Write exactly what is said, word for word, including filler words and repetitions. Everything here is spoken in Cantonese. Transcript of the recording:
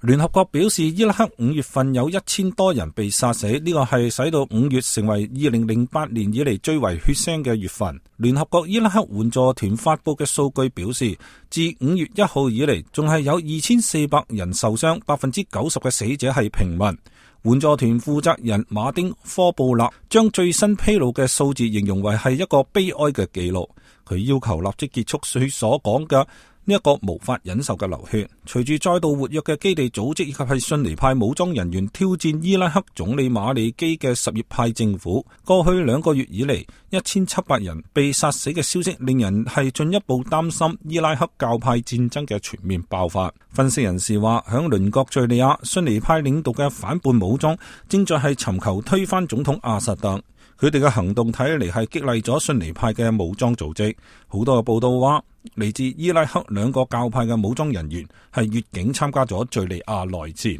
聯合國表示，伊拉克五月份有一千多人被殺死，呢個係使到五月成為二零零八年以嚟最為血腥嘅月份。聯合國伊拉克援助團發佈嘅數據表示，自五月一號以嚟，仲係有二千四百人受傷，百分之九十嘅死者係平民。援助團負責人馬丁科布勒將最新披露嘅數字形容為係一個悲哀嘅記錄，佢要求立即結束佢所講嘅呢一個無法忍受嘅流血。隨住再度活躍嘅基地組織以及係遜尼派武裝人員挑戰伊拉克總理馬里基嘅什葉派政府，過去兩個月以嚟一千七百人被殺死嘅消息，令人係進一步擔心伊拉克教派戰爭嘅全面爆發。分析人士話，響鄰國敘利亞，遜尼派領導嘅反叛武裝正在係尋求推翻總統阿薩德。佢哋嘅行動睇嚟係激勵咗遜尼派嘅武裝組織。好多嘅報道話，嚟自伊拉克兩個教派嘅武裝人員係越境參加咗敘利亞內戰。